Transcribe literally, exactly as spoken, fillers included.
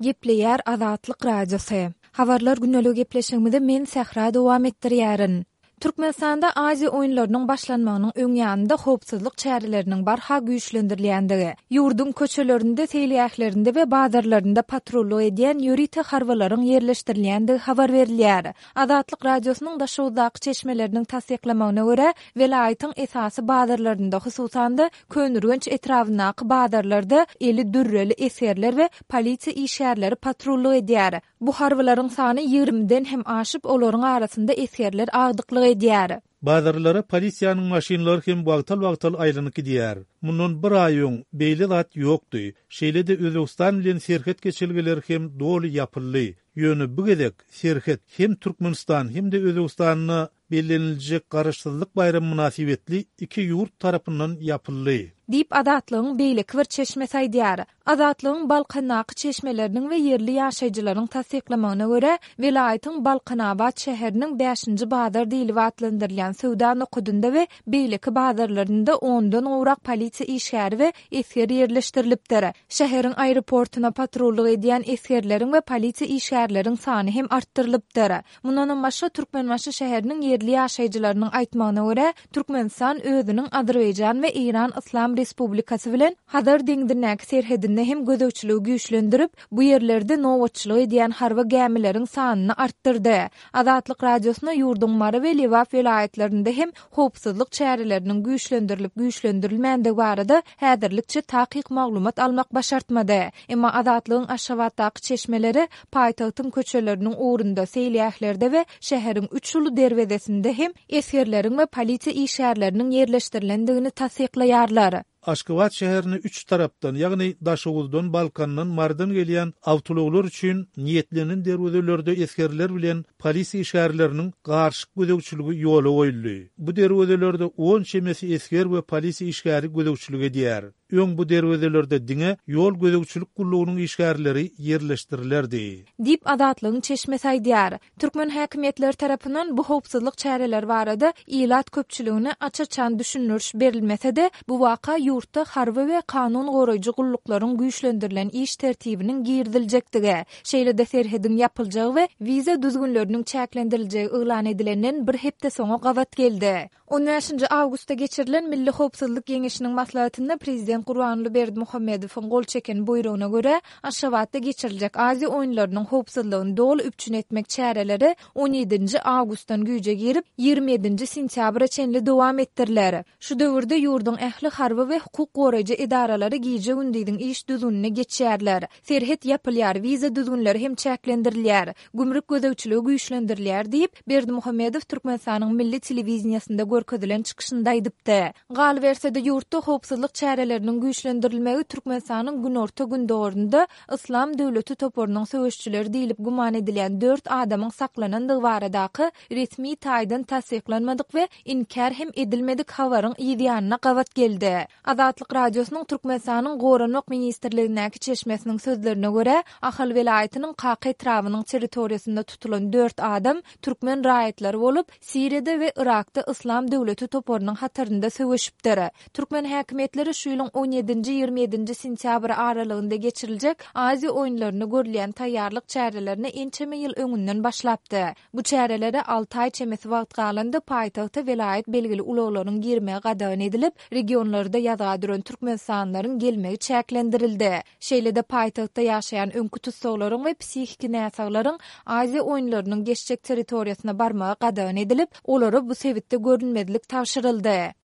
Gepleýär Azatlyk Radiosy. Habarlar gündeligi gepleşigimizi men Sähra dowam etdirýärin. Türkmenistanda Aziýa oýunlarynyň başlanmagynyň öň ýanynda howpsuzlyk çäreleriniň barha güýçlendirilýändigi, ýurduň köçelerinde, seýilgählerinde we bazarlarynda patrullyk edýän ýörite harbylaryň ýerleşdirilýändigi habar berilýär. Azatlyk Radiosynyň Daşoguzdaky çeşmeleriniň tassyklamagyna görä, welaýatyň esasy bazarlarynda, hususan-da, Köneürgenç etrabyndaky bazarlarda eli dürreli esgerler we polisiýa işgärleri patrullyk edýär. Bu harbylaryň sany ýigrimiden hem aşyp, olaryň arasynda esgerler agdyklyk edýär. Bazarlara polisiýanyň maşynlary hem wagtal-wagtal aýlanyp gidýär. Mundan bir aý öň beýle zat ýokdy. Şeýle-de Özbegistan bilen serhet geçelgeleri hem doly ýapyldy. Ýöne bu gezek serhet hem Türkmenistan hem-de Özbegistanda belleniljek Garaşsyzlyk baýramy mynasybetli iki ýurt tarapyndan ýapyldy. Diýip, Azatlygyň beýleki bir çeşmesi aýdýar. Azatlygyň Balkandaky çeşmeleriniň we ýerli ýaşaýjylaryň tassyklamagyna görä, welaýatyň Balkanabat şäheriniň bäşinji bazar diýlip atlandyrylýan söwda nokadynda we beýleki bazarlarynda ondan gowrak polisiýa işgäri we esger ýerleşdirilipdir. Şäheriň aeroportuna patrullyk edýän esgerleriň we polisiýa işgärleriň sany hem artdyrylypdyr. Mundanam başga, Türkmenbaşy şäheriniň ýerli ýaşaýjylarynyň aýtmagyna görä, Türkmenistan özüniň Azerbaýjan we Eýran Yslam Respublikasy bilen Hazar deňzindäki serhedinde hem gözegçiligi güýçlendirip, bu ýerlerde nobatçylyk edýän harby gämileriň sanyny artdyrdy. Azatlyk Radiosyna ýurduň Mary we Lebap welaýatlarynda hem howpsuzlyk çäreleriniň güýçlendirilip-güýçlendirilmändigi barada häzirlikçe takyk maglumat almak başartmady. Emma Azatlygyň Aşgabatdaky çeşmeleri paýtagtyň köçeleriniň ugrunda, seýilgählerde we şäheriň üç uly derwezesinde hem esgerleriň we polisiýa işgärleriniň ýerleşdirilendigini tassyklaýarlar. Aşgabat şäherine üç tarapdan, ýagny Daşoguzdan, Balkandan, Marydan gelýän awtoulaglar üçin niýetlenen derwezelerde esgerler bilen polisiýa işgärleriniň garyşyk gözegçiligi ýola goýuldy. Bu derwezelerde on çemesi esger we polisiýa işgäri gözegçilik edýär. Öň bu derwezelerde diňe ýol gözegçilik gullugynyň işgärleri ýerleşdirilerdi. Diýip, Azatlygyň çeşmesi aýdýar. Türkmen häkimiýetleri tarapyndan bu howpsuzlyk çäreleri barada ilat köpçüligine aç-açan düşündiriş berilmese-de, bu waka ýurtda harby we kanun goraýjy gulluklaryň güýçlendirilen iş tertibiniň giriziljekdigi, şeýle-de serhediň ýapyljagy we wiza düzgünleriniň çäklendiriljegi yglan edilenden bir hepde soňa gabat geldi. On bäşinji awgustda geçirilen Milli howpsuzlyk geňeşiniň maslahatynda prezident Gurbanguly Berdimuhamedowyň gol çeken buýrugyna görä, Aşgabatda geçiriljek Aziýa oýunlarynyň howpsuzlygyny doly üpjün etmek çäreleri on ýedinji awgustdan güýje girip, ýigrimi ýedinji sentýabra çenli dowam etdiriler. Şu döwürde ýurduň ähli harby we hukuk goraýjy edaralary gije-gündiziň iş düzgünine geçýärler. Serhet ýapylýar, wiza düzgünleri hem çäklendirilýär. Gümrük gözegçiligi güýçlendirilýär diýip, Berdimuhamedow Türkmenistanyň milli telewideniýesinde görkezilen çykyşynda aýdypdy. Galyberse-de, ýurtda howpsuzlyk çäreleriniň güýçlendirilmegi Türkmenistanyň günorta-gündogarynda Yslam döwleti toparynyň söweşçileri diýlip güman edilýän dört adamyň saklanandygy baradaky resmi taýdan tassyklanmadyk we inkär hem edilmedik habaryň yz ýanyna gabat geldi. Azatlyk Radiosynyň Türkmenistanyň Goranmak ministrligindäki çeşmesiniň sözlerine görä, Ahal welaýatynyň Kaka etrabynyň territoriýasynda tutulan dört adam türkmen raýatlary bolup, Siriýada we Yrakda Yslam döwleti toparynyň hatarynda söweşipdir. Türkmen häkimiýetleri şu ýylyň on ýedinji-ýigrimi ýedinji sentýabry aralygynda geçiriljek Aziýa oýunlaryna görülýän taýýarlyk çärelerine ençeme ýyl öňünden başlapdy. Bu çärelere alty aý çemesi wagt galanda paýtagta welaýat belgili ulaglaryň girmegi gadagan edilip, regionlarda ýazga duran türkmenistanlylaryň gelmegi çäklendirildi. Şeýle-de paýtagtda ýaşaýan öňki tussaglaryň we psihiki näsaglaryň Aziýa oýunlarynyň geçjek territoriýasyna barmagy gadagan edilip, olara bu sebitde görünmezlik tabşyryldy.